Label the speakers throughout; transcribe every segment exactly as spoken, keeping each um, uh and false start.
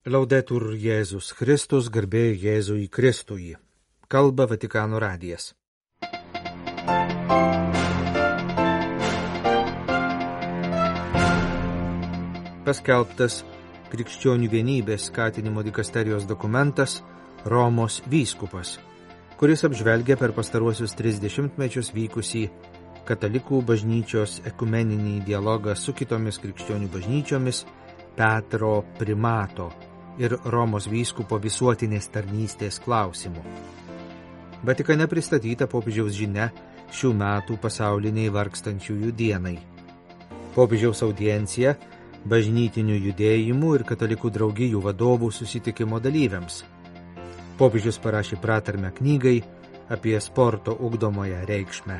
Speaker 1: Laudetur Jėzus Kristus, garbė Jėzui Kristui. Kalba Vatikano radijas. Paskelbtas krikščionių vienybės skatinimo dikasterijos dokumentas Romos vyskupas, kuris apžvelgia per pastaruosius tris dešimtmečius vykusį katalikų bažnyčios ekumeninį dialogą su kitomis krikščionių bažnyčiomis Petro primato ir Romos vyskupo visuotinės tarnystės klausimų. Vatikane pristatyta popiežiaus žinia šių metų pasauliniai vargstančiųjų dienai. Popiežiaus audiencija bažnytinių judėjimų ir katalikų draugijų vadovų susitikimo dalyviams. Popiežius parašė pratarmę knygai apie sporto ugdomąją reikšmę.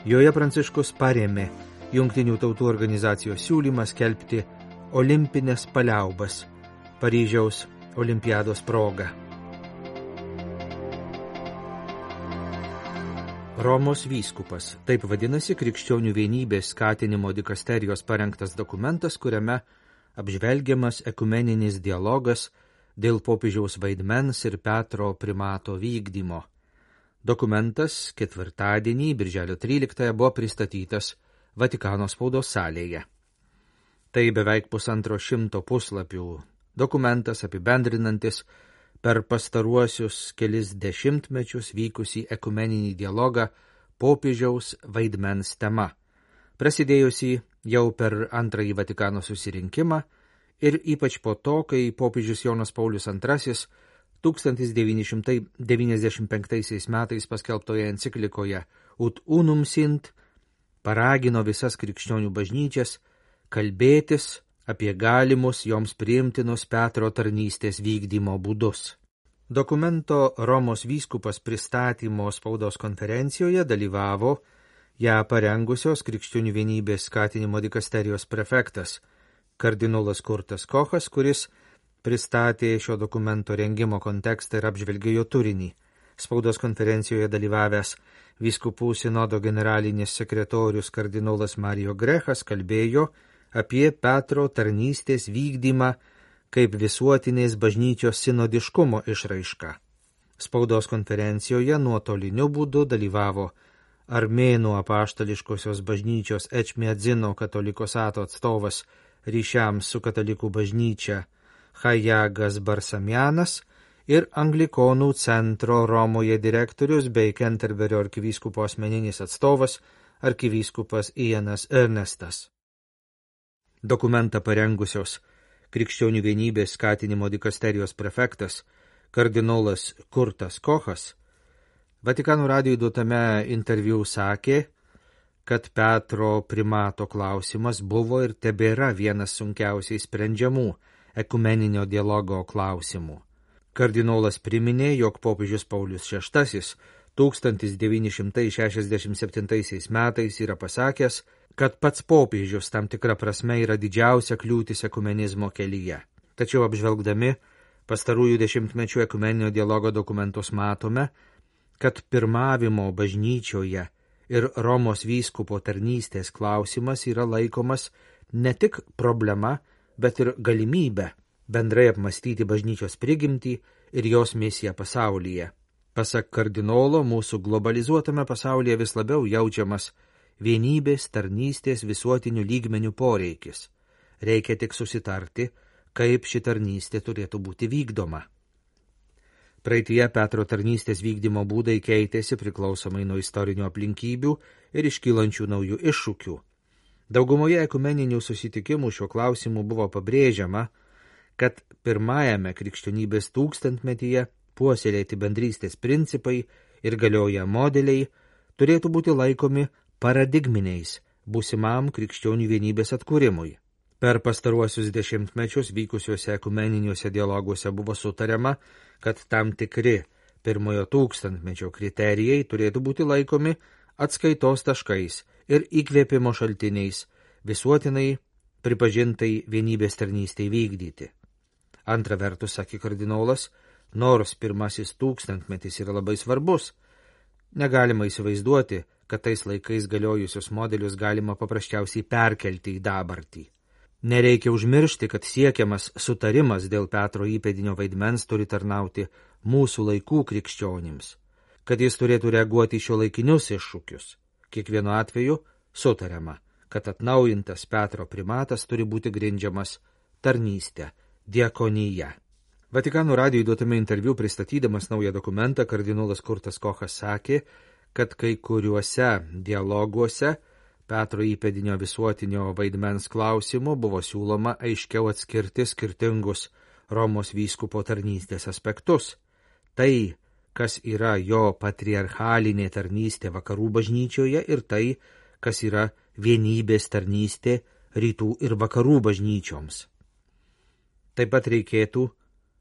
Speaker 1: Joje Pranciškus parėmė Jungtinių tautų organizacijos siūlymą skelbti olimpinės paliaubas Paryžiaus olimpiados proga. Romos vyskupas – taip vadinasi krikščionių vienybės skatinimo dikasterijos parengtas dokumentas, kuriame apžvelgiamas ekumeninis dialogas dėl popiežiaus vaidmens ir Petro primato vykdymo. Dokumentas ketvirtadienį, birželio tryliktąją, buvo pristatytas Vatikano spaudos salėje. Tai beveik pusantro šimto puslapių dokumentas apibendrinantis per pastaruosius kelis dešimtmečius vykusį ekumeninį dialogą popiežiaus vaidmens tema, prasidėjusi jau per antrąjį Vatikano susirinkimą ir ypač po to, kai popiežius Jonas Paulius antrasis tūkstantis devyni šimtai devyniasdešimt penktaisiais metais paskelbtoje enciklikoje Ut unum sint paragino visas krikščionių bažnyčias kalbėtis apie galimus joms priimtinus Petro tarnystės vykdymo būdus. Dokumento Romos vyskupas pristatymo spaudos konferencijoje dalyvavo ją parengusios krikščionių vienybės skatinimo dikasterijos prefektas kardinolas Kurtas Kochas, kuris pristatė šio dokumento rengimo kontekstą ir apžvelgė jo turinį. Spaudos konferencijoje dalyvavęs vyskupų sinodo generalinis sekretorius kardinolas Mario Grechas kalbėjo apie Petro tarnystės vykdymą kaip visuotinės bažnyčios sinodiškumo išraišką. Spaudos konferencijoje nuotoliniu būdu dalyvavo Armėnų apaštališkosios bažnyčios Ečmiadzino katolikosato atstovas ryšiams su katalikų bažnyčia Hajagas Barsamjanas ir Anglikonų centro Romoje direktorius bei Kenterberio arkivyskupo asmeninis atstovas arkivyskupas Ianas Ernestas. Dokumentą parengusios krikščionių vienybės skatinimo dikasterijos prefektas kardinolas Kurtas Kochas Vatikano radijui duotame interviu sakė, kad Petro primato klausimas buvo ir tebėra vienas sunkiausiai sprendžiamų ekumeninio dialogo klausimų. Kardinolas priminė, jog popiežius Paulius šeštasis tūkstantis devyni šimtai šešiasdešimt septintaisiais metais yra pasakęs, kad pats popiežius tam tikra prasme yra didžiausia kliūtis ekumenizmo kelyje. Tačiau apžvelgdami pastarųjų dešimtmečių ekumeninio dialogo dokumentus matome, kad pirmavimo bažnyčioje ir Romos vyskupo tarnystės klausimas yra laikomas ne tik problema, bet ir galimybė bendrai apmastyti bažnyčios prigimtį ir jos misiją pasaulyje. Pasak kardinolo, mūsų globalizuotame pasaulyje vis labiau jaučiamas vienybės tarnystės visuotinių lygmenių poreikis. Reikia tik susitarti, kaip ši tarnystė turėtų būti vykdoma. Praeityje Petro tarnystės vykdymo būdai keitėsi priklausomai nuo istorinių aplinkybių ir iškylančių naujų iššūkių. Daugumoje ekumeninių susitikimų šiuo klausimu buvo pabrėžiama, kad pirmajame krikščionybės tūkstantmetyje puoselėti bendrystės principai ir galioję modeliai turėtų būti laikomi paradigminiais būsimam krikščionių vienybės atkūrimui. Per pastaruosius dešimtmečius vykusiuose ekumeniniuose dialoguose buvo sutariama, kad tam tikri pirmojo tūkstantmečio kriterijai turėtų būti laikomi atskaitos taškais ir įkvėpimo šaltiniais visuotinai pripažintai vienybės tarnystei vykdyti. Antra vertus, sakė kardinolas, nors pirmasis tūkstantmetis yra labai svarbus, negalima įsivaizduoti, kad tais laikais galiojusius modelius galima paprasčiausiai perkelti į dabartį. Nereikia užmiršti, kad siekiamas sutarimas dėl Petro įpėdinio vaidmens turi tarnauti mūsų laikų krikščionims, kad jis turėtų reaguoti į šio laikinius iššūkius. Kiekvienu atveju sutariama, kad atnaujintas Petro primatas turi būti grindžiamas tarnystė, diakonija. Vatikano radijui duotame interviu pristatydamas naują dokumentą, kardinolas Kurtas Kochas sakė, kad kai kuriuose dialoguose Petro įpėdinio visuotinio vaidmens klausimų buvo siūloma aiškiau atskirti skirtingus Romos vyskupo tarnystės aspektus. Tai, kas yra jo patriarchalinė tarnystė vakarų bažnyčioje ir tai, kas yra vienybės tarnystė rytų ir vakarų bažnyčioms. Taip pat reikėtų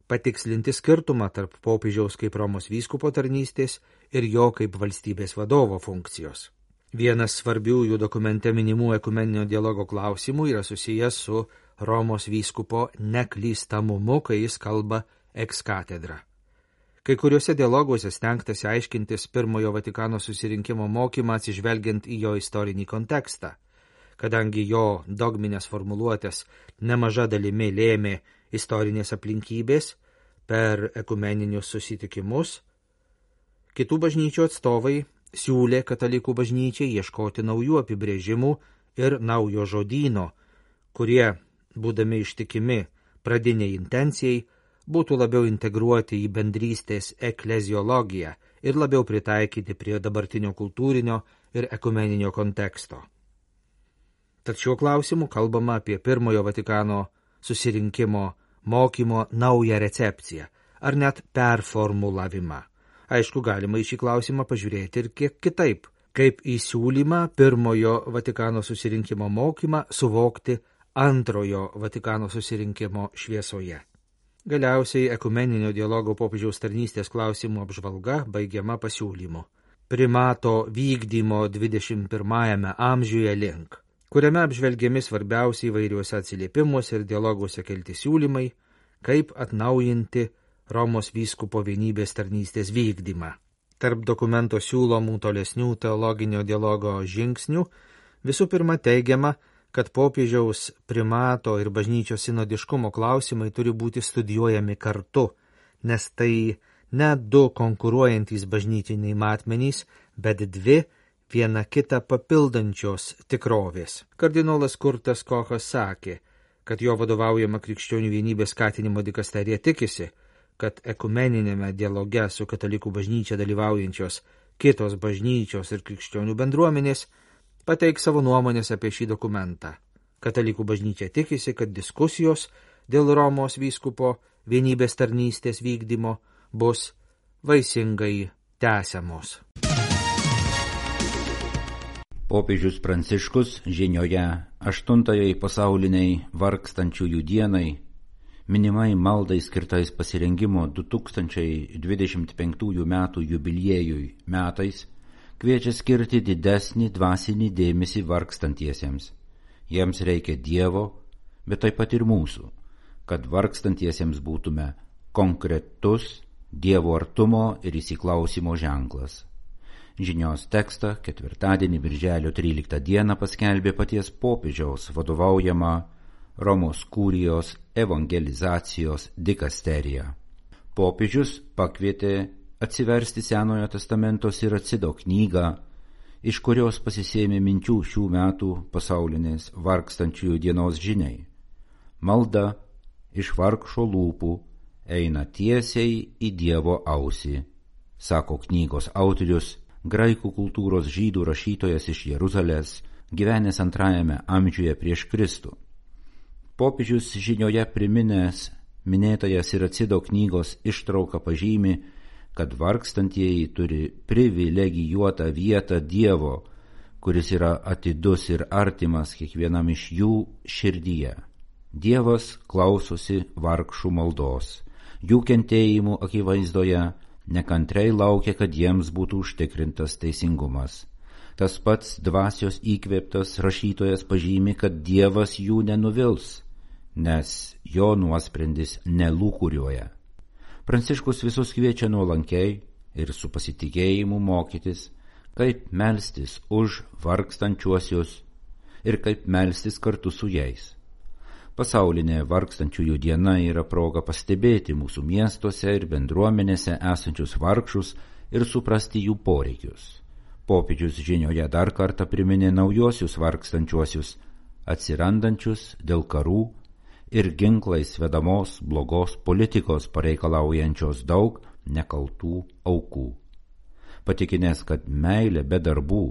Speaker 1: patikslinti skirtumą tarp popiežiaus kaip Romos vyskupo tarnystės ir jo kaip valstybės vadovo funkcijos. Vienas svarbiųjų dokumente minimų ekumeninio dialogo klausimų yra susijęs su Romos vyskupo neklystamumu, kai jis kalba ex katedra. Kai kuriuose dialoguose stengtasi aiškintis pirmojo Vatikano susirinkimo mokymą atsižvelgiant į jo istorinį kontekstą, kadangi jo dogminės formuluotės nemaža dalimi lėmė istorinės aplinkybės per ekumeninius susitikimus. Kitų bažnyčių atstovai siūlė katalikų bažnyčiai ieškoti naujų apibrėžimų ir naujo žodyno, kurie, būdami ištikimi pradiniai intencijai, būtų labiau integruoti į bendrystės ekleziologiją ir labiau pritaikyti prie dabartinio kultūrinio ir ekumeninio konteksto. Tad šiuo klausimu kalbama apie pirmojo Vatikano susirinkimo mokymo naują recepciją, ar net performulavimą. Aišku, galima į šį klausimą pažiūrėti ir kiek kitaip, kaip į siūlymą pirmojo Vatikano susirinkimo mokymą suvokti antrojo Vatikano susirinkimo šviesoje. Galiausiai ekumeninio dialogo popiežiaus tarnystės klausimų apžvalga baigiama pasiūlymu primato vykdymo dvidešimt pirmajame amžiuje link, kuriame apžvelgiami svarbiausiai įvairiuose atsiliepimuose ir dialoguose kelti siūlymai, kaip atnaujinti Romos vyskupo vienybės tarnystės vykdymą. Tarp dokumento siūlomų tolesnių teologinio dialogo žingsnių visų pirma teigiama, kad popiežiaus primato ir bažnyčios sinodiškumo klausimai turi būti studijuojami kartu, nes tai ne du konkuruojantys bažnytiniai matmenys, bet dvi viena kitą papildančios tikrovės. Kardinolas Kurtas Kochas sakė, kad jo vadovaujama krikščionių vienybės skatinimo dikasterija tikisi, kad ekumeninėme dialoge su katalikų bažnyčia dalyvaujančios kitos bažnyčios ir krikščionių bendruomenės pateiks savo nuomonės apie šį dokumentą. Katalikų bažnyčia tikisi, kad diskusijos dėl Romos vyskupo vienybės tarnystės vykdymo bus vaisingai tęsiamos.
Speaker 2: Popiežius Pranciškus žinioje aštuntajai pasauliniai vargstančiųjų dienai, minimai maldai skirtais pasirengimo du tūkstančiai dvidešimt penktųjų metų jubiliejui metais, kviečia skirti didesnį dvasinį dėmesį vargstantiesiems. Jiems reikia Dievo, bet taip pat ir mūsų, kad vargstantiesiems būtume konkretus Dievo artumo ir įsiklausimo ženklas. Žinios tekstą ketvirtadienį birželio tryliktą dieną paskelbė paties popiežiaus vadovaujama Romos kurijos evangelizacijos dikasterija. Popiežius pakvietė atsiversti Senojo testamento Siracido knygą, iš kurios pasisėmė minčių šių metų pasaulinės vargstančiųjų dienos žiniai. Malda iš vargšo lūpų eina tiesiai į Dievo ausį, sako knygos autorius, graikų kultūros žydų rašytojas iš Jeruzalės, gyvenęs antrajame amžiuje prieš Kristų. Popiežius žinioje priminęs minėtąją Siracido knygos ištrauką pažymi, kad vargstantieji turi privilegijuotą vietą Dievo, kuris yra atidus ir artimas kiekvienam iš jų širdyje. Dievas klausosi vargšų maldos, jų kentėjimų akivaizdoje nekantrai laukia, kad jiems būtų užtikrintas teisingumas. Tas pats dvasios įkvėptas rašytojas pažymi, kad Dievas jų nenuvils, nes jo nuosprendis nelūkuriuoja. Pranciškus visus kviečia nuolankiai ir su pasitikėjimu mokytis, kaip melstis už vargstančiuosius ir kaip melstis kartu su jais. Pasaulinė vargstančiųjų diena yra proga pastebėti mūsų miestuose ir bendruomenėse esančius vargšus ir suprasti jų poreikius. Popiežius žinioje dar kartą priminė naujosius vargstančiuosius, atsirandančius dėl karų ir ginklais vedamos blogos politikos pareikalaujančios daug nekaltų aukų. Patikinęs, kad meilė be darbų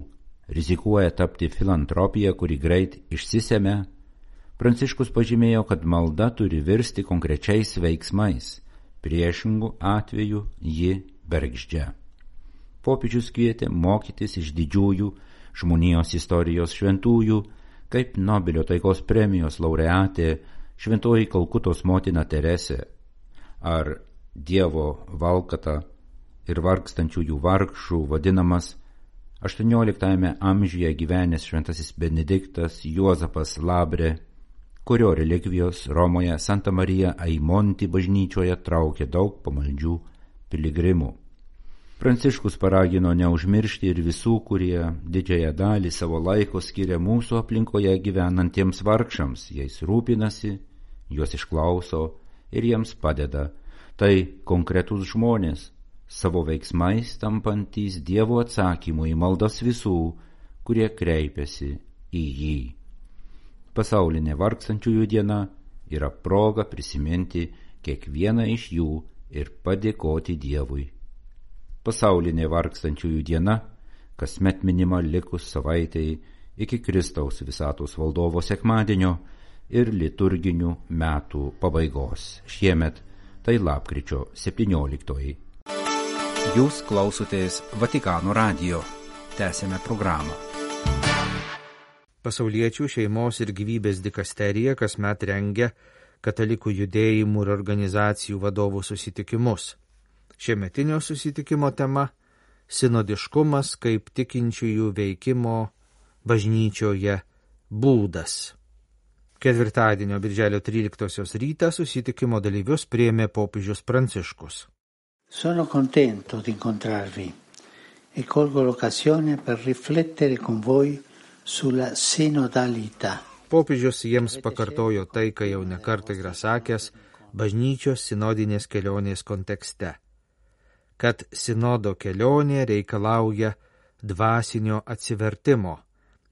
Speaker 2: rizikuoja tapti filantropija, kuri greit išsisemia, Pranciškus pažymėjo, kad malda turi virsti konkrečiais veiksmais, priešingų atveju ji bergždžia. Popiežius kvietė mokytis iš didžiųjų žmonijos istorijos šventųjų, kaip Nobelio taikos premijos laureatė šventoji Kalkutos motina Teresė, ar Dievo valkata ir vargstančiųjų vargšų vadinamas aštuonioliktajame amžiuje gyvenęs šventasis Benediktas Juozapas Labre, kurio relikvijos Romoje Santa Marija Aimonti bažnyčioje traukė daug pamaldžių piligrimų. Pranciškus paragino neužmiršti ir visų, kurie didžiąją dalį savo laiko skiria mūsų aplinkoje gyvenantiems vargšams, jais rūpinasi, juos išklauso ir jiems padeda. Tai konkretūs žmonės, savo veiksmais tampantys Dievo atsakymu į maldas visų, kurie kreipiasi į jį. Pasaulinė vargstančiųjų diena yra proga prisiminti kiekvieną iš jų ir padėkoti Dievui. Pasaulinė vargstančiųjų diena kasmet minima likus savaitei iki Kristaus visatos valdovo sekmadienio ir liturginių metų pabaigos. Šiemet tai lapkričio septynioliktoji.
Speaker 1: Jūs klausotės Vatikano radijo. Tęsėme programą. Pasauliečių šeimos ir gyvybės dikasterija kasmet rengia katalikų judėjimų ir organizacijų vadovų susitikimus. Šiemetinio susitikimo tema – sinodiškumas kaip tikinčiųjų veikimo bažnyčioje būdas. Ketvirtadienio birželio tryliktosios rytą susitikimo dalyvius priėmė popiežius Pranciškus.
Speaker 3: Sono contento di incontrarvi e colgo l'occasione per riflettere con voi sulla sinodalità.
Speaker 1: Popiežius jiems pakartojo tai, ką jau nekartą yra sakęs bažnyčios sinodinės kelionės kontekste, kad sinodo kelionė reikalauja dvasinio atsivertimo,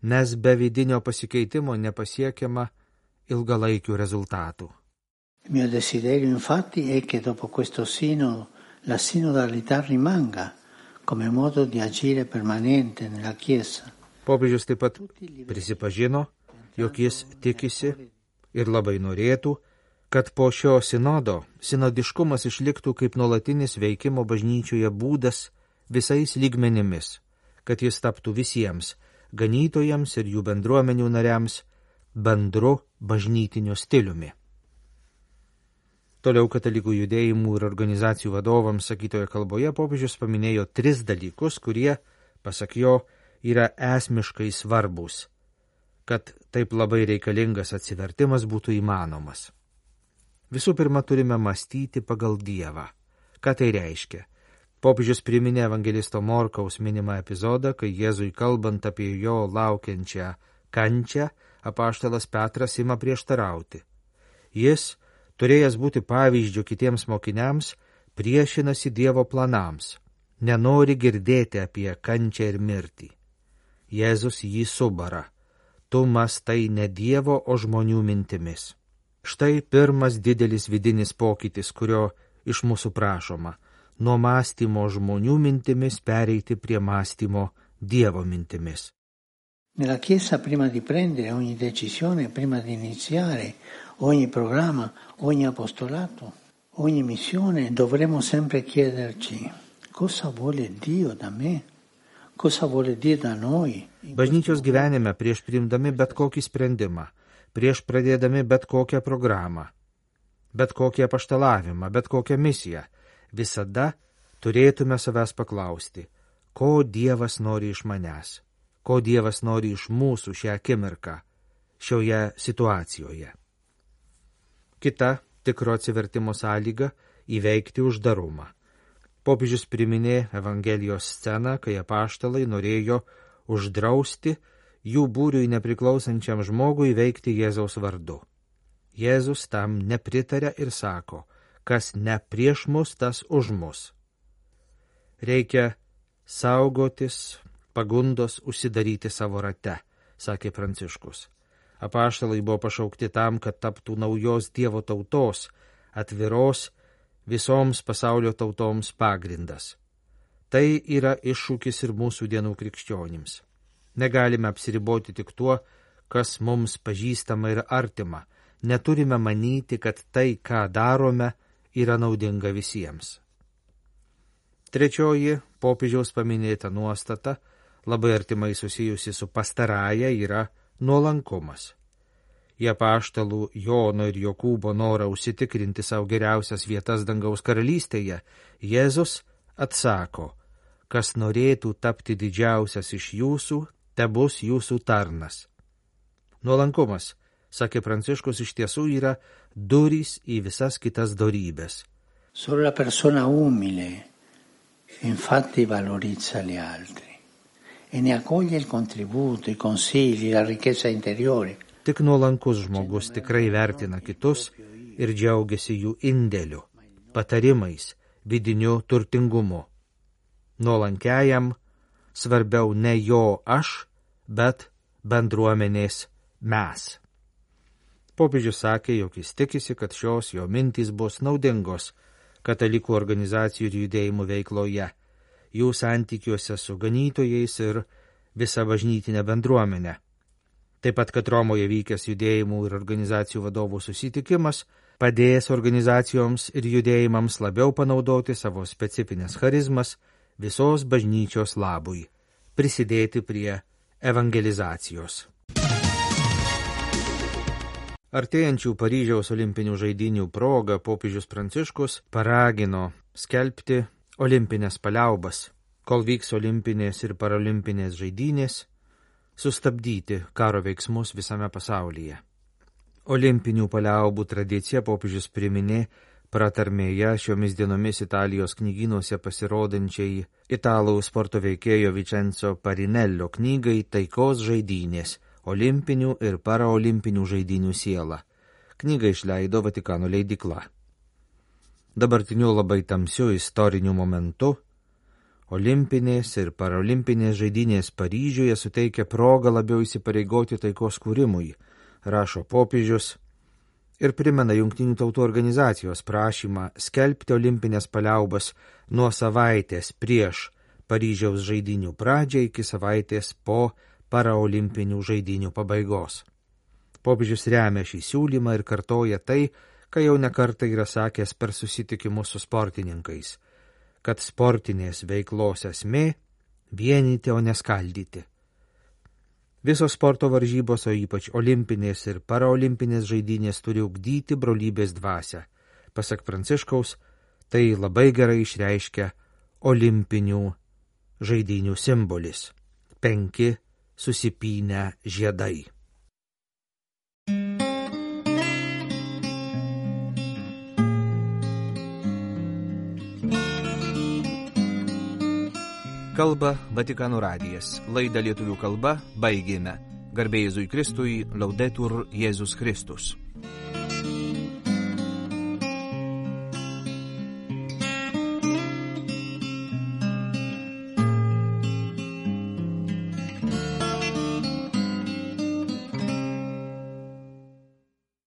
Speaker 1: nes be vidinio pasikeitimo nepasiekiama ilgalaikių rezultatų.
Speaker 3: Il mio desiderio infatti è che dopo questo sinodo la sinodalità rimanga come modo di agire permanente nella Chiesa.
Speaker 1: Popiežius taip pat prisipažino, jog jis tikisi ir labai norėtų, kad po šio sinodo sinodiškumas išliktų kaip nuolatinis veikimo bažnyčioje būdas visais lygmenimis, kad jis taptų visiems, ganytojams ir jų bendruomenių nariams, bendru bažnytiniu stiliumi. Toliau katalikų judėjimų ir organizacijų vadovams sakytoje kalboje popiežius paminėjo tris dalykus, kurie, pasak jo, yra esmiškai svarbus, kad taip labai reikalingas atsivertimas būtų įmanomas. Visų pirma, turime mąstyti pagal Dievą. Ką tai reiškia? Popiežius priminė evangelisto Morkaus minimą epizodą, kai Jėzui kalbant apie jo laukiančią kančią, apaštalas Petras ima prieštarauti. Jis, turėjęs būti pavyzdžiu kitiems mokiniams, priešinasi Dievo planams, nenori girdėti apie kančią ir mirtį. Jėzus jį subara. Tu mąstai ne Dievo, o žmonių mintimis. Štai pirmas didelis vidinis pokytis, kurio iš mūsų prašoma – nuo mąstymo žmonių mintimis pereiti prie mąstymo Dievo mintimis.
Speaker 3: Nella Chiesa, prima di prendere ogni decisione, prima di iniziare ogni programma, ogni apostolato, ogni missione, dovremo sempre chiederci cosa vuole Dio da me.
Speaker 1: Bažnyčios gyvenime prieš priimdami bet kokį sprendimą, prieš pradėdami bet kokią programą, bet kokį apaštalavimą, bet kokią misiją, visada turėtume savęs paklausti, ko Dievas nori iš manęs, ko Dievas nori iš mūsų šią akimirką, šioje situacijoje. Kita tikro atsivertimo sąlyga – įveikti uždarumą. Popiežius priminė Evangelijos sceną, kai apaštalai norėjo uždrausti jų būriui nepriklausančiam žmogui veikti Jėzaus vardu. Jėzus tam nepritaria ir sako, kas ne prieš mus, tas už mus. Reikia saugotis pagundos užsidaryti savo rate, sakė Pranciškus. Apaštalai buvo pašaukti tam, kad taptų naujos Dievo tautos, atviros visoms pasaulio tautoms pagrindas. Tai yra iššūkis ir mūsų dienų krikščionims. Negalime apsiriboti tik tuo, kas mums pažįstama ir artima. Neturime manyti, kad tai, ką darome, yra naudinga visiems. Trečioji popiežiaus paminėta nuostata, labai artimai susijusi su pastarąja, yra nuolankumas. Į apaštalų Jono ir Jokūbo norą užsitikrinti savo geriausias vietas dangaus karalystėje, Jėzus atsako, kas norėtų tapti didžiausias iš jūsų, tebus jūsų tarnas. Nuolankumas, sakė Pranciškus, iš tiesų yra durys į visas kitas dorybės.
Speaker 3: Solo la persona umile, infatti, valorizza gli altri e ne accoglie il contributo, i consigli, la ricchezza interiore.
Speaker 1: Tik nuolankus žmogus tikrai vertina kitus ir džiaugiasi jų indėliu, patarimais, vidiniu turtingumu. Nuolankiajam svarbiau ne jo aš, bet bendruomenės mes. Popiežius sakė, jog jis tikisi, kad šios jo mintys bus naudingos katalikų organizacijų ir judėjimų veikloje, jų santykiuose su ganytojais ir visa bažnytinė bendruomenė. Taip pat, kad Romoje vykęs judėjimų ir organizacijų vadovų susitikimas padės organizacijoms ir judėjimams labiau panaudoti savo specifines charizmas visos bažnyčios labui, prisidėti prie evangelizacijos. Artėjančių Paryžiaus olimpinių žaidynių proga popiežius Pranciškus paragino skelbti olimpinės paliaubas, kol vyks olimpinės ir paralimpinės žaidynės, sustabdyti karo veiksmus visame pasaulyje. Olimpinių paliaubų tradiciją popiežius priminė pratarmėje šiomis dienomis Italijos knygynuose pasirodančiai italų sporto veikėjo Vincenzo Parinello knygai Taikos žaidynės – olimpinių ir paraolimpinių žaidynių siela. Knygą išleido Vatikano leidykla. Dabartiniu labai tamsiu istoriniu momentu olimpinės ir paralimpinės žaidynės Paryžiuje suteikia progą labiau įsipareigoti taikos kūrimui, rašo popiežius, ir primena Jungtinių tautų organizacijos prašymą skelbti olimpinės paliaubas nuo savaitės prieš Paryžiaus žaidynių pradžią iki savaitės po paraolimpinių žaidynių pabaigos. Popiežius remia šį siūlymą ir kartoja tai, ką jau nekartą yra sakęs per susitikimus su sportininkais, kad sportinės veiklos esmė – vienyti, o neskaldyti. Visos sporto varžybos, o ypač olimpinės ir paraolimpinės žaidynės turi ugdyti brolybės dvasią. Pasak Pranciškaus, tai labai gerai išreiškia olimpinių žaidynių simbolis – penki susipynę žiedai. Kalba Vatikano radijas. Laidą lietuvių kalba baigėme. Garbė Jėzui Kristui, Laudetur Jėzus Kristus.